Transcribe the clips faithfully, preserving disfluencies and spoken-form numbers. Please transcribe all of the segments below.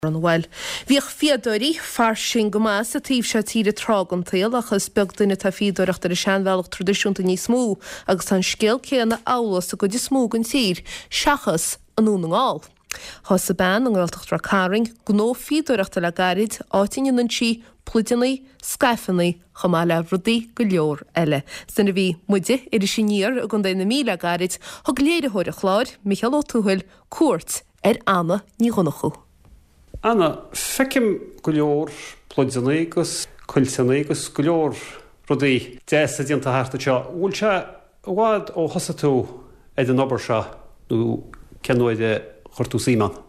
An bhfuil. Bhíodh fíodóirí fairsing go maith sa taobh seo tíre tráth den tsaol ach is beag duine atá ag fíodóireacht ar an seanbhealach traidisiúnta níos mó agus tá an scéal céanna amhlaidh sa gcuid is mó den tír seachas i nDún na nGall. Thosaigh bean i nGaeltacht Ráth Cairn gnó fíodóireachta le gairid, áit a ndéanann sí pluideanna, scaifeanna chomh maith le rudaí go leor eile. Nuair a bhí muide, Iris Aniar i gContae na Mí le gairid, thug léiritheoir an chláir, Micheál Ó Tuathail, cuairt ar Anna Ní Dhonnchú. Anna, feicim go leor pluideanna agus cuilteanna agus go leor rudaí deasa déanta thart anseo. Bhfuil sé i bhfad ó thosaigh tú ar an obair seo nó cén uair a chuir tú suim ann?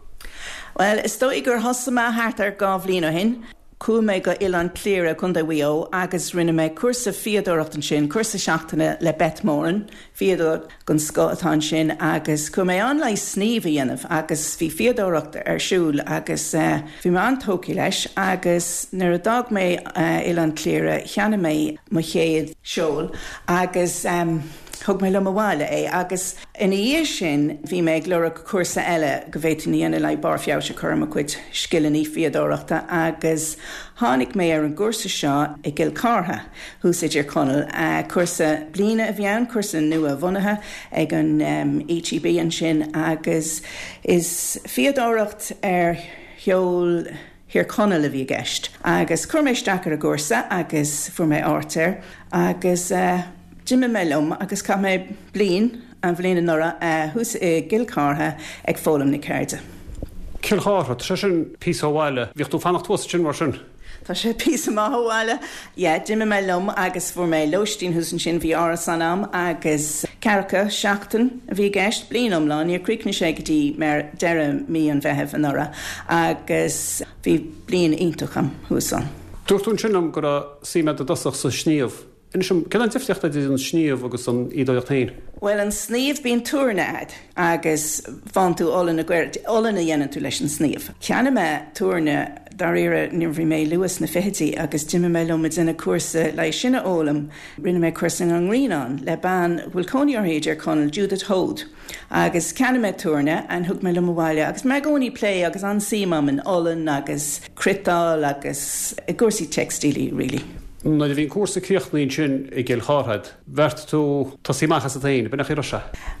Well, is dóigh gur thosaigh mé thart ar dhá bhliain ó shin. Chuaigh mé go Oileán Cliara Contae Mhaigh Eo agus rinne mé cúrsa fíodóireacht ansin, cúrsa seachtaine le Beth Moran, fíodóir den scoth atá ansin agus chuaigh mé ann le sníomh a dhéanamh agus bhí fíodóireacht ar siúl agus uh, bhí mé an-tógtha leis agus nuair a d'fhág mé uh, Oileán Cliara cheannaigh mé mo chéad seol agus um, thug mé liom abhaile é agus ina dhiaidh sin bhí mé ag lorg cúrsa eile go bhféadfainn a dhéanamh le barr feabhais a chur ar mo chuid scileanna fíodóireachta agus tháinig mé ar an gcúrsa seo i gCill Chartha thuas i dTír Chonaill. Uh, cúrsa bliana a bhí ann cúrsa nua bhunaithe ag an um, ETB ansin agus is fíodóireacht ar sheol Thír Chonaill a bhí i gceist. Agus chuir mé isteach ar an gcúrsa agus fuair mé áit air agus uh, D'imigh mé liom agus chaith mé bliain an bhliain anuraidh uh, thuas i gCill Chartha ag foghlaim na ceirde. Cill Chartha, tá sé sin píosa ó bhaile, bhíodh tú ag fanacht thuas sin mar sin. Tá sé píosa maith ó bhaile. Yeah, d'imigh mé liom agus fuair mé lóistín thuas ansin bhí árasán agam agus ceathracha seachtain a bhí i gceist bliain iomlán, níor chríochnaigh sé go dtí mar deireadh mí an Mheithimh anuraidh agus bhí bliain iontach agam thuas ann. Dúirt tú ansin liom go raibh suim agat i dtosach sa sníomh. Inis dom cén difríocht idir an sníomh agus an fhíodóireacht féin. Well an sníomh bíonn tuairne agat agus faigheann tú olann na gcaor olann a dhéanann tú leis an sníomh. Cheannaigh mé tuairne dáiríre nuair bhí mé luath sna fichidí agus d'imigh mé liom déanamh cúrsa le sin a fhoghlaim. Rinne mé cúrsa an nGrianán le bean bhfuil cónaí uirthi i dTír Chonaill Judith Hode. Agus cheannaigh mé tuairne an thug mé liom abhaile agus mé i gcónaí ag plé agus an-suim agam in olann agus cniotáil agus i gcúrsaí teicstílí really. Nuair a bhí an cúrsa críochnaithe sin i gCill Chartha, bheartaigh tú tosaí amach asat féin, b'in é sé.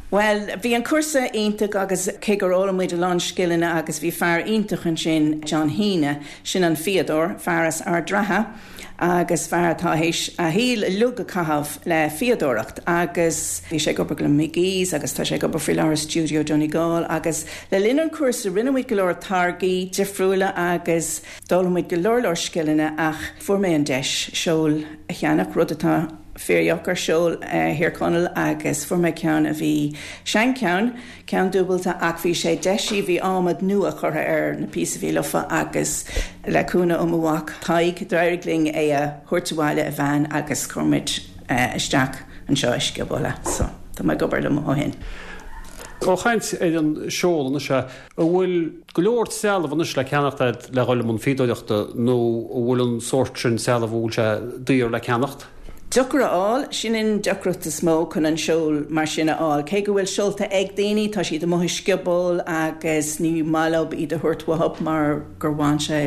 Well, bhí an cúrsa iontach agus cé gur fhoghlaim muid a lán scileanna agus bhí fear iontach ansin John Heaney, sin an fíodóir, fear as Ard Ratha agus fear atá théis a shaol uilig a chaitheamh le fíodóireacht agus bhí sé ag obair le McGee's agus tá sé ag obair faoi láthair Studio Donegal agus le linn an cúrsa rinne muid go leor táirgí difriúla agus d'fhoghlaim muid go leor leor scileanna ach fuair mé an deis seol a cheannach rud atá fíordheacair seol Thír Chonaill agus fuair mé ceann a bhí seancheann ceann dúbailte ach bhí sé deisithe bhí adhmad nua curtha ar na píosaí a bhí lofa agus le cúnamh ó mo mhac Tadhg d'éirigh linn é a thabhairt abhaile i veain agus chuir muid isteach anseo i scioból so tá mé ag obair liom ó shin. Ó chaint ar an seol anois an bhfuil go leor trealamh anois le ceannacht le dhul i mbun fíodóireachta nó an bhfuil an sórt sin trealamh bhfuil sé daor le ceannacht? Deacair a fháil sin an deacracht is mó chun an seol mar sin a fháil. Cé go bhfuil seolta ag daoine tá siad amuigh i scioból agus ní maith leo iad a thabhairt uathu mar gur bhain sé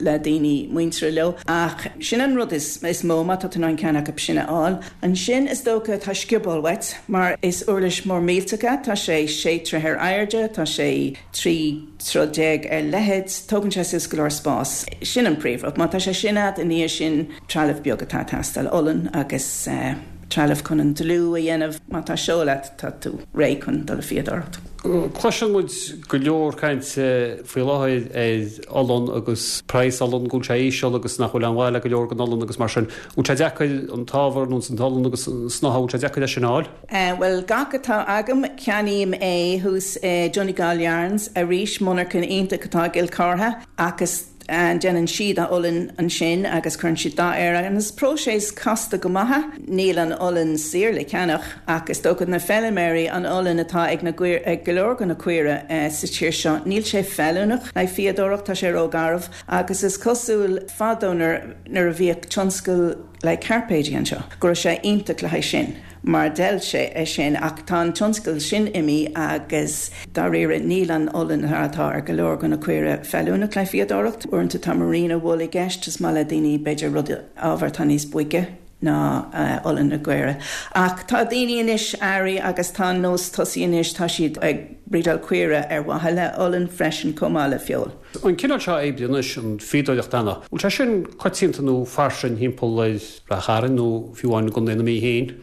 le daoine muinteartha leo. Ach sin an rud is, is mó má tá an ceann acu sin a fháil. Ansin is dócha tá scioból uait mar is uirlis mór millteach é, tá sé sé troigh ar airde, tá sé trí troigh déag ar leithead, tógann sé suas go leor spás. Sin an príomhrud, má tá sé sin agat ina dhiaidh sin trealamh beag atá ag teastáil olann agus uh, trealamh chun an dlúth a dhéanamh má tá seol agat tá tú réidh chun dul ag fíodóireacht. Cloiseann muid go leor cainte faoi láthair ar olann agus praghas olann go bhfuil sé íseal agus nach bhfuil an bhaile go leor den olann agus mar sin. Bhfuil sé deacair an t-ábhar nó an t-olann agus snáithe bhfuil sé deacair leis sin a fháil? Uh, well gach atá agam ceannaím é thuas uh, Donegal Yarns arís monarcha iontach atá i gCill Chartha agus an déanann siad a olann ansin agus cuireann siad dath air agus is próiseas casta go maith níl an olann saor le ceannach ach is dócha na feilméaraí an olann atá ag na ag go leor de na caora uh, sa tír seo níl sé feiliúnach le fíodóireacht tá sé rógharbh agus is cosúil fadó nuair a bhíodh tionscal le cairpéidí anseo, go raibh sé iontach le haghaidh sin. mar d'fheil sé é sin ach tá an tionscal sin imithe agus dáiríre níl an olann atá ar go leor de na caoire feiliúnach le fíodóireacht. Uaireanta tá merino wool i gceist is maith le daoine b'fhéidir rud ábhar atá níos boige ná uh, olann na gcaora. Ach tá daoine anois airí agus tá nós tosaithe anois tá siad ag breedáil caoire ar mhaithe le olann freisin chomh maith le feoil. An cineál seo oibre anois an fhíodóireacht Anna, bhfuil sé sin coitianta nó fairsing thimpeall ar Ráth Chairn nó fiú amháin i gContae na Mí féin?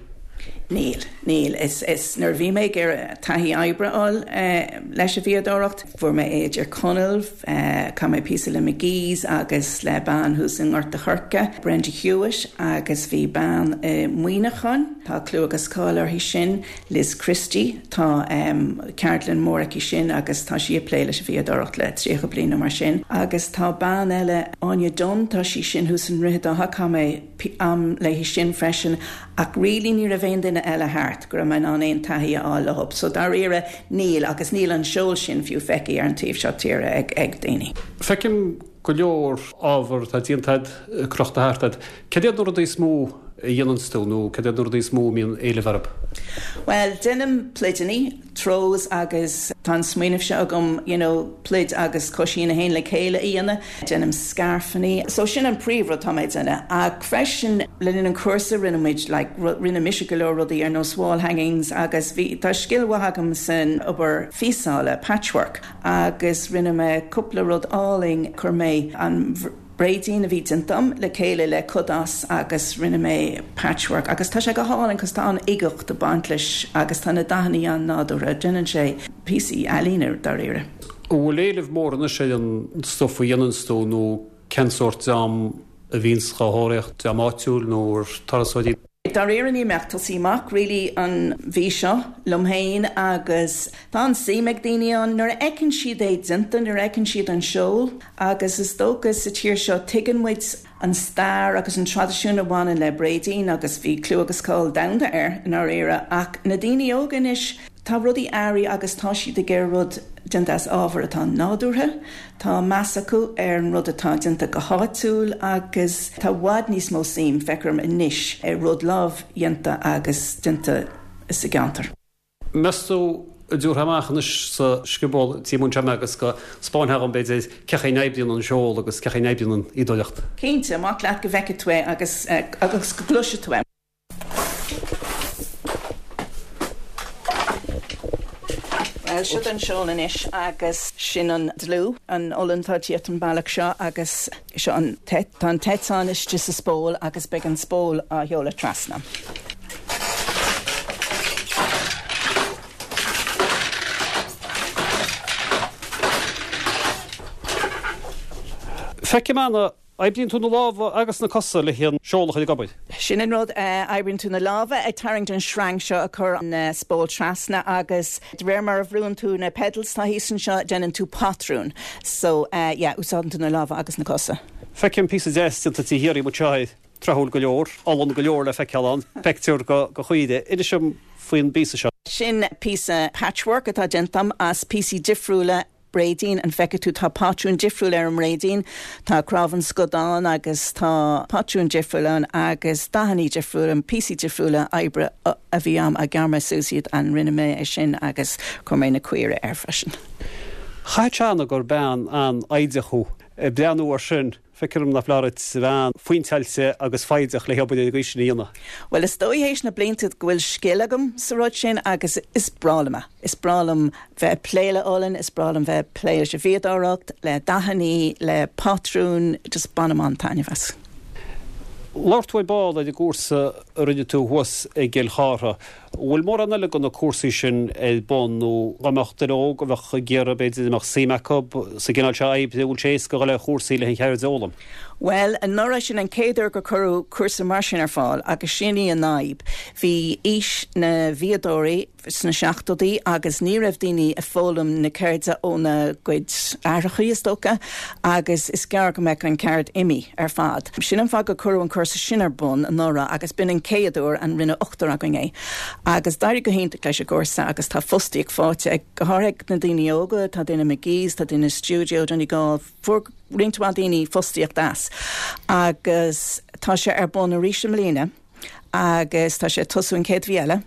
Níl, níl is, is nuair bhí mé ag iarraidh taithí oibre a fháil eh, leis an bhfíodóireacht, fuair mé é i dTír Chonaill, eh, chaith mé píosa le McGee's agus le bean thuas i nGort a' Choirce, Brenda Hewitt agus bhí bean i Muineachán, tá clú agus cáil uirthi sin, Liz Christie, tá um, ceardlann mór aici sin agus tá sí ag plé leis an bhfíodóireacht le tríocha bliain mar sin. Agus tá bean eile Áine Dunn tá sí sin thuas i nDroichead Átha chaith mé am léi sin freisin ach really ní raibh aon duine eile thart go raibh mé in ann aon taithí a fháil leo. So dáiríre níl agus níl an seol sin fiú feicthe ar an taobh seo tíre ag ag daoine. Feicim go leor ábhar atá déanta crochta thart ort. Cad iad na rudaí is mó a dhéanann tú nó cad iad na rudaí is mó a mbíonn éileamh orthu? Well, déanaim pluideanna, throws agus tá an smaoineamh seo agam you know, pluid agus coisín a théann le chéile a dhéanamh, déanaim scairfeanna. So sin an príomhrud atá mé ag déanamh. Ach freisin le linn an cúrsa rinne muid like, rinne mise go leor rudaí ar nós wall hangings agus bhí tá scil mhaith agam san obair phíosála patchwork agus rinne mé cúpla rud álainn chuir mé an bréidín a bhí déanta agam le chéile le cuid as agus rinne mé patchwork agus tá sé go hálainn cos tá an uigeacht ag baint leis agus tá na dathanna an-nádúrtha déanann sé píosaí ealaíne dáiríre. Bhfuil éileamh mór anois ar an stuff a dhéanann tú nó cén sórt dream a bhíonns á thóraíocht dream áitiúil nó turasóirí? Dáiríre níl mé ach tosaí amach really an mhí seo liom féin agus tá an-suim ag daoine ann nuair a fheiceann siad é déanta nuair a fheiceann siad an seol agus is dócha sa tír seo tuigeann muid an stair agus an traidisiún a bhaineann le bréidín agus bhí clú agus cáil domhanda air i ndáiríre ach na daoine óga anois tá rudaí airí agus tá siad ag iarraidh rud déanta as ábhar atá nádúrtha, Tá meas acu ar an rud atá déanta go háitiúil agus tá i bhfad níos mó suim feicim anois ar rud lámhdhéanta agus déanta sa gceantar. Meas tú an dtabharfá amach anois sa scioból tí anseo mé agus go spáinfeá dhom b'fhéidir cén chaoi a n-oibríonn an seol agus cén chaoi a n-oibríonn an fhíodóireacht. Cinnte, amach leat go bhfeicfidh tú é agus eh, agus go gcloisfidh tú é. Well seo an seol anois agus sin an dlúth an olann atá ag tíocht an bealach seo agus seo an tá an t-eiteán istigh sa spól agus beidh an spól á sheoladh trasna. Feicim Anna Oibríonn tú na lámha agus na cosa le an seol a chur ag obair. Sin an rud oibríonn tú na lámha ag tarraingt an sreang seo a chur an spól trasna agus de réir mar a bhrúnn tú na pedals tá thíos anseo déanann tú patrún. So uh, yeah, úsáideann tú na lámha agus na cosa. Feicim píosa deas déanta taobh thiar díom anseo tráthúil go leor, olann go leor le feiceáil ann, pictiúr go go chaoire. Inis dom faoin bpíosa seo. Sin píosa patchwork atá déanta agam as píosaí difriúla bréidín an bhfeiceann tú tá patrún difriúil ar an mbréidín, tá cnámh an scadáin agus tá patrún difriúil ann agus dathanna difriúla an píosaí difriúla oibre a bhí agam a ghearr mé suas iad an rinne mé é sin agus chuir mé na caoire air freisin. Chaithfeadh sé Anna gur bean an-fhoighdeach thú ag breathnú air sin. Feictear dom nach foláir duit a bheith an-phointeáilte agus foighdeach le hobair ar an gcaoi sin a dhéanamh. Well is dóigh théis na blianta go bhfuil scil agam sa rud sin agus is breá liom é. Is breá liom bheith ag plé le olann, is breá liom bheith ag plé leis an bhfíodóireacht, le dathanna, le patrúin, just bainim an-taitneamh as. Labhair tú ar ball ar an gcúrsa a rinne tú thuas i gCill Chartha. Bhfuil mórán eile de na cúrsaí sin ar bun nó dá mbeadh duine óg a bheadh ag iarraidh b'fhéidir a mbeadh suim acu sa gcineál seo oibre, bhfuil sé éasca dhul ar chúrsaí le an cheird a fhoghlaim? Bhuel, anuraidh sin an chéad uair gur cuireadh cúrsa mar sin ar fáil agus sin í an fhadhb. Bhí aois na bhfíodóirí sna seachtóidí agus ní raibh daoine ag foghlaim na ceirde óna gcuid aithreacha is dócha agus is gearr go mbeadh an ceird imithe ar fad. Sin an fáth gur cuireadh an cúrsa sin ar bun anuraidh agus b'in an chéad uair an rinne ochtar againn é. Agus d'éirigh go hiontach leis an gcúrsa agus tá fostaíocht faighte ag go háirithe na daoine óga, tá duine McGee's, tá duine Studio Donegal, fuair roinnt mhaith daoine fostaíocht as. Agus tá sé ar bun arís i mbliana. agus tá sé ag tosú an chéad mhí eile.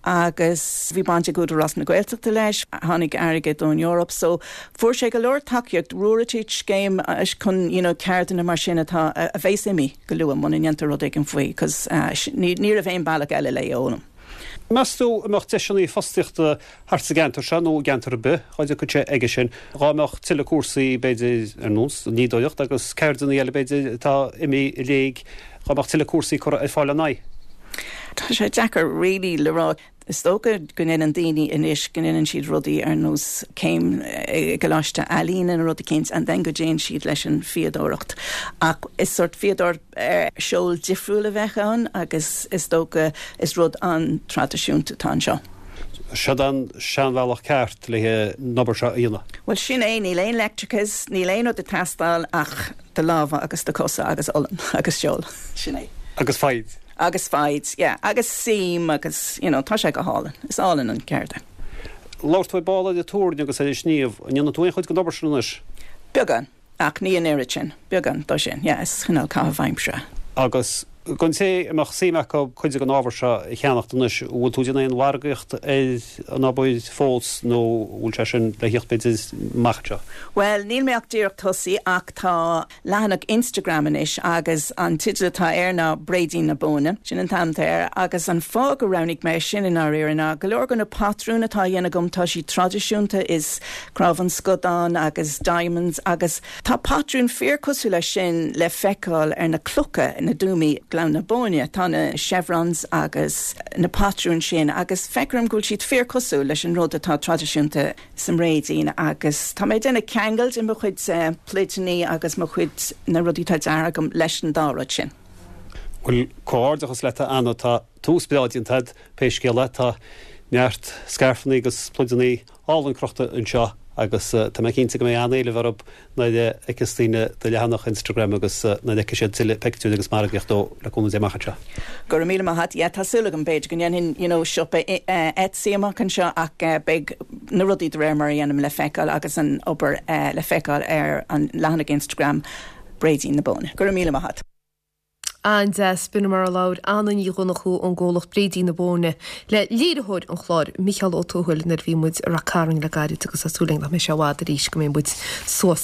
agus bhí baint ag Údarás na Gaeltachta leis, tháinig airgead ón Eoraip, so fuair sé go leor tacaíocht Ruairí scéim chun you know, ceirdeanna mar sin atá a bheas imithe go luath muna ndéantar rud éigin faoi, cos uh, ní raibh aon bealach eile le fhoghlaim. Meas tú an mbeadh deiseanna fostaíochta thart sa gceantar seo nó gceantar ar bith dá dtiocfadh sé aige sin dá mbeadh tuilleadh cúrsaí b'fhéidir ar nós níodóireacht agus ceirdeanna eile b'fhéidir atá imithe i léig dá mbeadh tuilleadh cúrsaí curtha ar fáil an é. Tá sé deacair really le rá Is dócha go ndéanann daoine anois go ndéanann siad rudaí ar nós céim i gcoláiste ealaíne nó rud éicint and then go dtéann siad leis an fíodóireacht. Ach is sort fíodóir uh, seol difriúil a bheith ann agus is dócha is rud an-traidisiúnta atá anseo. Seo an seanbhealach ceart le an obair seo a dhéanamh. Well sin é níl aon leictreachas, níl aon rud ag teastáil ach do lámha agus do chosa agus olann agus seol sin é. Agus foighid. Agus foighid, yeah, agus suim agus you know, tá sé go hálainn, is álainn an ceird é. Labhair tú ball de túirne agus é sníomh, an ndéanann tú aon chuid den obair sin anois? Beagán, ach ní an oiread sin, beagán dó sin, yeah, is cineál caitheamh aimsire. Agus don té a mbeadh suim acu cuid den ábhar seo a cheannacht anois, bhfuil tú ag déanamh aon mhargaíocht ar an obair fós nó bhfuil sé sin le theacht b'fhéidir amach anseo? Well, níl mé ach díreach tosaithe ach tá leathanach Instagram anois agus an teideal atá air ná Bréidín na Bóinne, sin an t-ainm air, agus an fáth gur roghnaigh mé sin in áiríre ná go leor de na patrúin atá á dhéanamh agam tá siad traidisiúnta is cnámh an scadán agus diamonds agus tá patrún fíorchosúil leis sin le feiceáil ar na clocha na dtuamaí Gleann na Bóinne, tá na chevrons agus na patrúin sin agus feicim go bhfuil siad fíorchosúil leis an rud atá traidisiúnta sa mbréidín agus tá mé ag déanamh ceangal i mo chuid uh, pluideanna agus mo chuid na rudaí atá déanta agam leis an dá rud sin. Bhuel comhghairdeachas leat Anna tá tús breá déanta agat pé scéal é tá neart scairfeanna agus pluideanna álainn crochta anseo agus uh, tá mé cinnte go mbeidh an-éileamh orthu nuair a fheicfeas daoine do leathanach Instagram agus uh, nuair a fheicfidh siad tuilleadh pictiúr agus margaíocht dó le cúnamh Dé amach anseo. Go raibh míle maith agat yeah, tá súil agam b'fhéidir go ndéanfainn you know, siopa uh, Etsy amach anseo ach uh, beidh na rudaí de réir mar a dhéanaim le feiceáil agus an obair uh, le feiceáil ar an leathanach Instagram Bréidín na Bóinne. Go raibh míle maith agat. An-deas b'in mar a labhair Anna Ní Dhonnchú ón gcomhlacht Bréidín na Bóinne le léiritheoir an chláir Micheál Ó Tuathail nuair a bhí muid i Ráth Cairn le gairid agus tá súil againn nach mbeidh sé i bhfad arís go mbeidh muid suas